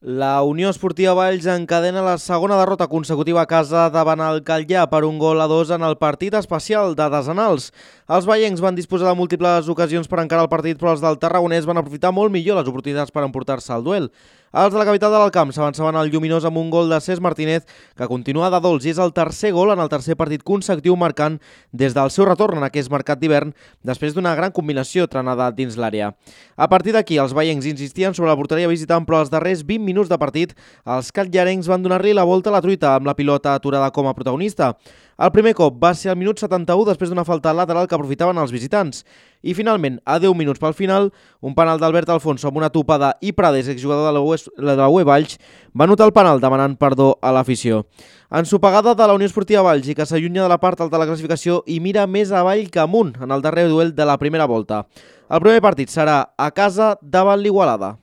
La Unió Esportiva Valls encadena la segona derrota consecutiva a casa davant el Calllà per 1-2 en el partit especial de Desenals. Els vallencs van disposar de múltiples ocasions per encarar el partit, però els del Tarragonès van aprofitar molt millor les oportunitats per emportar-se el duel. Els de la capital de l'Alcamp s'avançaven al Lluminós amb un gol de Cesc Martínez, que continua de dolç i és el tercer gol en el tercer partit consecutiu marcant des del seu retorn en aquest mercat d'hivern, després d'una gran combinació trenada dins l'àrea. A partir d'aquí, els vallencs insistien sobre la porteria visitant, però als darrers 20 minuts de partit, els catllarencs van donar-li la volta a la truita amb la pilota aturada com a protagonista. El primer cop va ser al minut 71 després d'una falta lateral que aprofitaven els visitants. I finalment, a 10 minuts pel final, un penal d'Albert Alfonso amb una topada i Prades, exjugador de la UE Valls, va anotar el penal demanant perdó a l'afició. Ensopegada de la Unió Esportiva Valls i que s'allunya de la part alta de la classificació i mira més avall que amunt en el darrer duel de la primera volta. El primer partit serà a casa davant l'Igualada.